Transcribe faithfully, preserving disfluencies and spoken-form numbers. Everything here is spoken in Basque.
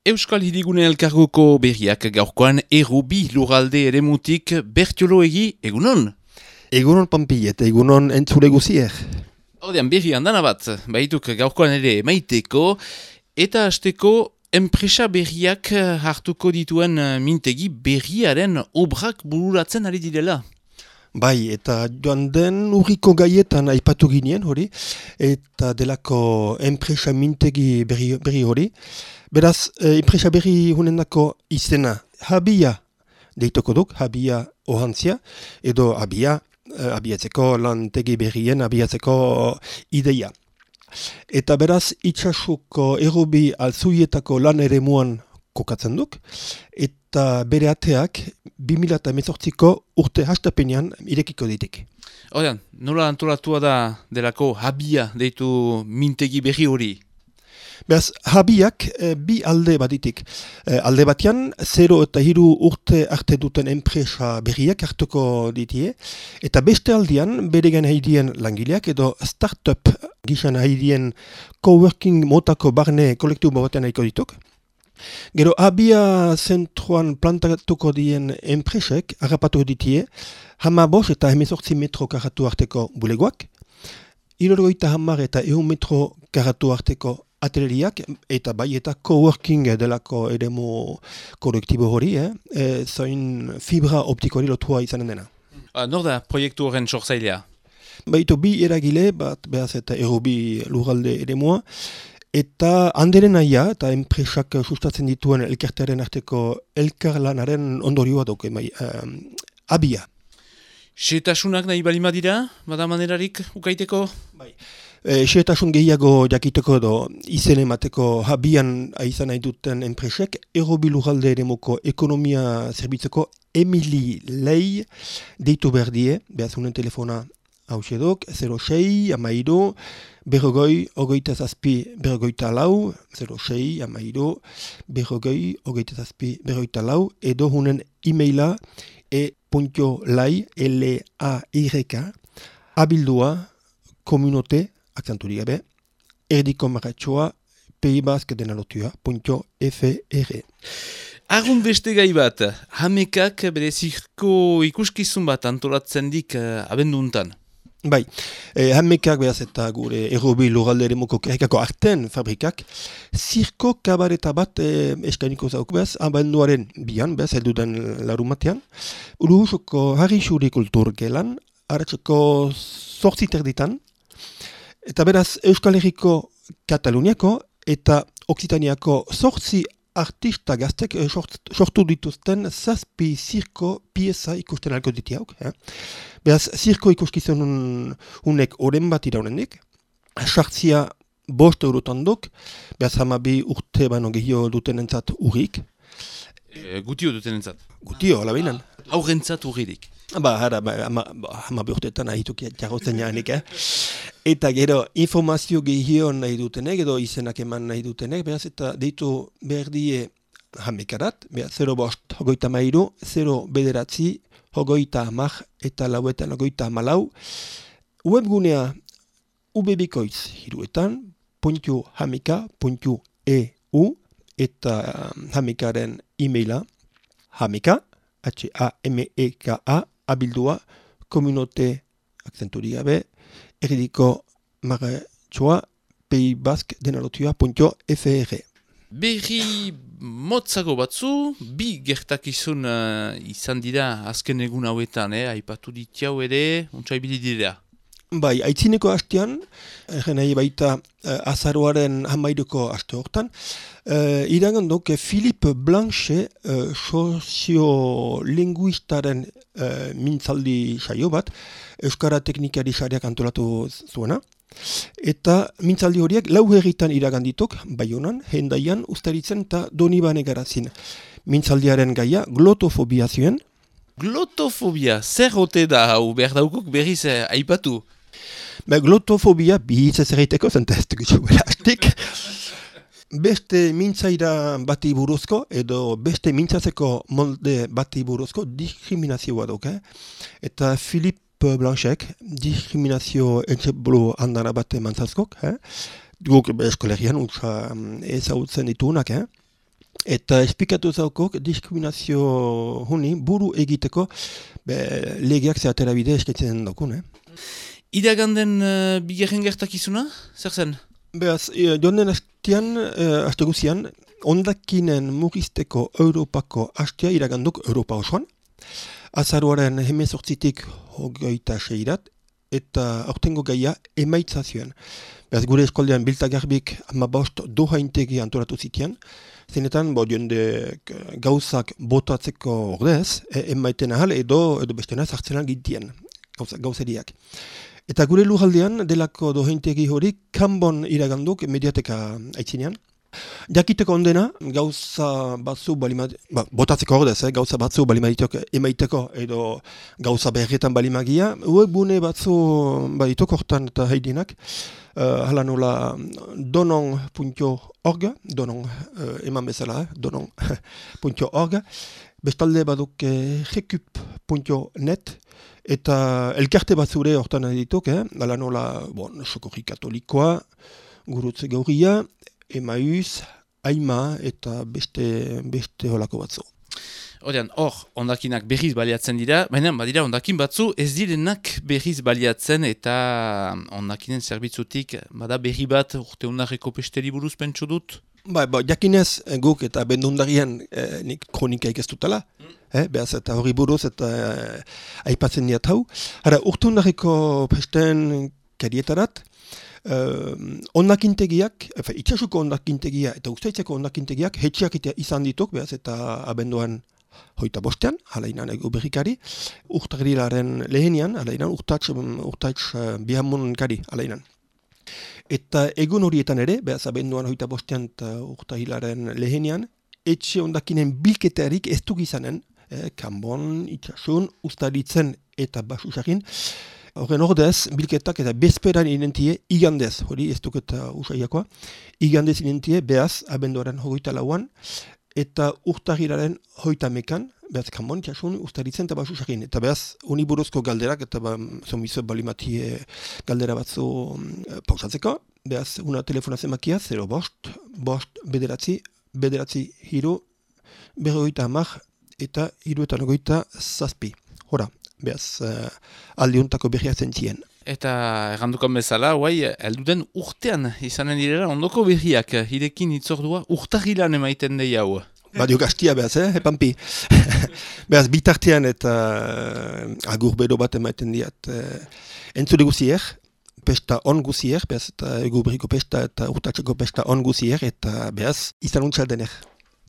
Euskal Hirigune Elkargoko berriak gaurkoan errubi lurralde eremutik Bertiolo egi, egunon? Egunon Pampi eta egunon entzule guzier. Hordean berri handana bat, baituk gaurkoan ere maiteko, eta hasteko enpresa berriak hartuko dituen mintegi berriaren obrak bururatzen ari direla. Bai, eta joan den urriko gaietan aipatu ginen hori, eta delako enpresa mintegi berri, berri hori. Beraz, e, enpresa berri hunendako izena habia deitoko duk, habia ohantzia, edo habia, e, abiatzeko lantegi berrien abiatzeko ideia. Eta beraz, itxasuko errobi altzuietako lan ere muan kokatzen duk, eta bere ateak bi mila hemezortziko urte hastapenean irekiko ditik. Hordean, nola antolatua da delako habia deitu mintegi berri hori? Beraz, habiak e, bi alde baditik. E, alde batean, zero eta hiru urte arte duten enpresa berriak hartuko ditie, eta beste aldean, beregan haidien langileak edo startup gizan haidien coworking motako barne kolektibo batean haiko dituk. Gero, habia zentroan plantatuko dien enpresek harrapatu ditie, hama bos eta hemezortzi metro karatu arteko bulegoak, irorgoita hamar eta ehun metro karatu arteko ateleriak, eta bai eta coworking delako eremu kolektibo hori, eh? E, zain fibra optikori lotua izanen dena. Ah, nor da proiektu horren sortzailea? Baitu bi eragile, bat behaz eta errubi lurralde eremua, eta handeren aia, eta enpresak sustatzen dituen elkartearen arteko elkarlanaren ondorioa duke, bai, um, abia. Setasunak nahi balima dira, bada manerarik ukaiteko? Bai. E, Xertasun gehiago jakiteko edo izen emateko habian aizan nahi duten enpresek, errobi lurralde eremuko ekonomia zerbitzeko Emili Lei deitu behar die, behazunen telefona hausedok, zero sei, amairu, berrogoi, ogeita zazpi, berrogeita lau, zero sei, amairu, berrogoi, ogeita zazpi, berrogeita lau, edo hunen e-maila e.lai, L-A-Y-K, abildua, komunote, akzenturi gabe, erdiko maratxoa, peibask.denalotua.fr. Argun beste gai bat, hamekak bere zirko ikuskizun bat antolatzen dik uh, abenduntan. Bai, eh, hamekak behaz eta gure errobi lurralde eremuko kerrikako arten fabrikak, zirko kabareta bat eh, eskainiko zauk behaz, abenduaren bian, behaz, elduden larumatean, Urusoko Harri Xuri Kultur gelan, haratzeko zortzi terditan, eta beraz Euskal Herriko Kataluniako eta Oksitaniako zortzi artista gaztek sortu dituzten zazpi zirko pieza ikusten alko ditiauk. Eh? Beraz, zirko ikuskizun unek oren bat iraunenik, sartzia bost eurotan duk, beraz hamabi urte baino gehio duten entzat urrik. E, gutio duten entzat? Gutio, alabeinan. Aurrentzat urririk. Ba, hara, ba, hama, hama beurtetan ahituk jarrotzen jaanik, eh? Eta gero, informazio gehiago nahi dutenek, edo izenak eman nahi dutenek, beraz, eta deitu behar die hamekarat, beraz, zero bost, hogeita mairu, zero bederatzi, hogeita hamar, eta lauetan hogeita hamalau, webgunea ubebikoitz hiruetan, puntu hameka, puntu eu, eta hamekaren e-maila, hameka, H-A-M-E-K-A, abildua, komunote, akzenturi gabe, erdiko maratxoa, peibask.denalotua.fr. Berri motzago batzu, bi gertakizun uh, izan dira azken egun hauetan, eh? Aipatu ditiau ere, untsaibili dira. Bai, aitzineko hastean, egen nahi baita uh, azaroaren hamairuko haste hortan, uh, irangan duk Philippe Blanche uh, soziolinguistaren uh, mintzaldi saio bat, Euskara Teknikari Sareak antolatu zuena, eta mintzaldi horiek lau herritan iragandituk, Baionan, Hendaian, Ustaritzen eta Donibane garazin. Mintzaldiaren gaia glotofobia zuen. Glotofobia, zer hote da hau behar daukuk berriz eh, aipatu? Ba, glotofobia bihitz ez erreiteko, zenta ez dugu hastik. Beste mintzaira bati buruzko, edo beste mintzatzeko molde bati buruzko diskriminazioa duk, eh? Eta Philippe Blanchek diskriminazio entzebulu handana bat emantzazkok, eh? Guk eskolegian utza ezagutzen dituunak, eh? Eta esplikatu zaukok diskriminazio huni buru egiteko be, legeak zehatera bide eskatzen daukun. Eh? Iraganden uh, bigarren gertakizuna, zer zen? Beaz, e, joan den hastian, e, haste guzian, ondakinen mugizteko Europako hastea iraganduk Europa osoan. Azaruaren hemezortzitik hogeita seirat, eta aurtengo gaia emaitza zuen. Beaz, gure eskoldean biltagarbik amabost doha integi antoratu zitian, zenetan, bo, jende gauzak botatzeko ordez, e, emaiten ahal edo, edo bestena zartzenan gintien, gauza, gauzeriak. Eta gure lujaldean, delako doheintegi hori, kanbon iraganduk mediateka aitzinean. Jakiteko ondena, gauza batzu balimad... Ba, botatzeko ordez, eh, gauza batzu balimaditok emaiteko edo gauza berretan balimagia, webune batzu baditok hortan eta heidinak, uh, hala nola donon punto org, donon uh, eman bezala, eh, donon punto org, bestalde baduk eh, recup punto net, eta elkarte bat zure hortan editok, eh? Ala nola, bon, Sokorri Katolikoa, Gurutze Gauria, Emaus, Aima eta beste, beste holako batzu. Horean, hor, ondakinak berriz baliatzen dira, baina badira ondakin batzu ez direnak berriz baliatzen eta ondakinen zerbitzutik bada berri bat urte undarreko pesteri buruz pentsu dut? Ba, ba, jakinez guk eta bendundarian eh, nik kronikaik ez dutela, mm. eh, behaz eta hori buruz eta eh, aipatzen diat hau. Hara, urte undarreko pesten karietarat, eh, ondakintegiak, efe, itxasuko ondakintegia eta ustaitzeko ondakintegiak hetxiak izan dituk, behaz eta abenduan hoita bostean, halainan egu berrikari, urtagrilaren lehenian, halainan urtatx, urtatx uh, bihamun kari, halainan. Eta egun horietan ere, behaz abenduan hoita bostean eta urtagrilaren lehenian, etxe ondakinen bilketarik ez duk izanen, eh, kanbon, itxasun, ustaritzen eta basusakin, horren ordez, bilketak eta bezperan inentie igandez, hori ez duk eta usaiakoa, igandez inentie, behaz abenduaren hogeita lauan, eta urtagiraren hoita mekan, behaz kanbon, itxasun, ustaritzen eta basusakin. Eta behaz, uniburuzko galderak, eta ba, zomizo balimatie galdera batzu um, pausatzeko, behaz, una telefona zemakia, zero bost, bost, bederatzi, bederatzi hiru, berrogeita hamar, eta hiruetan ogoita zazpi. Hora, behaz, uh, aldiuntako berriak zentzien. Eta errandukan bezala, guai, elduden urtean izanen direla ondoko berriak, hirekin itzordua urtagilan emaiten dei hau. Badio gaztia behaz, eh, epampi. Behaz, bitartean eta uh, agur bero bat emaiten diat. Uh, entzule guzier, pesta on guzier, behaz, eta egu berriko pesta eta urtatzeko pesta on guzier, eta behaz, izan untxaldener.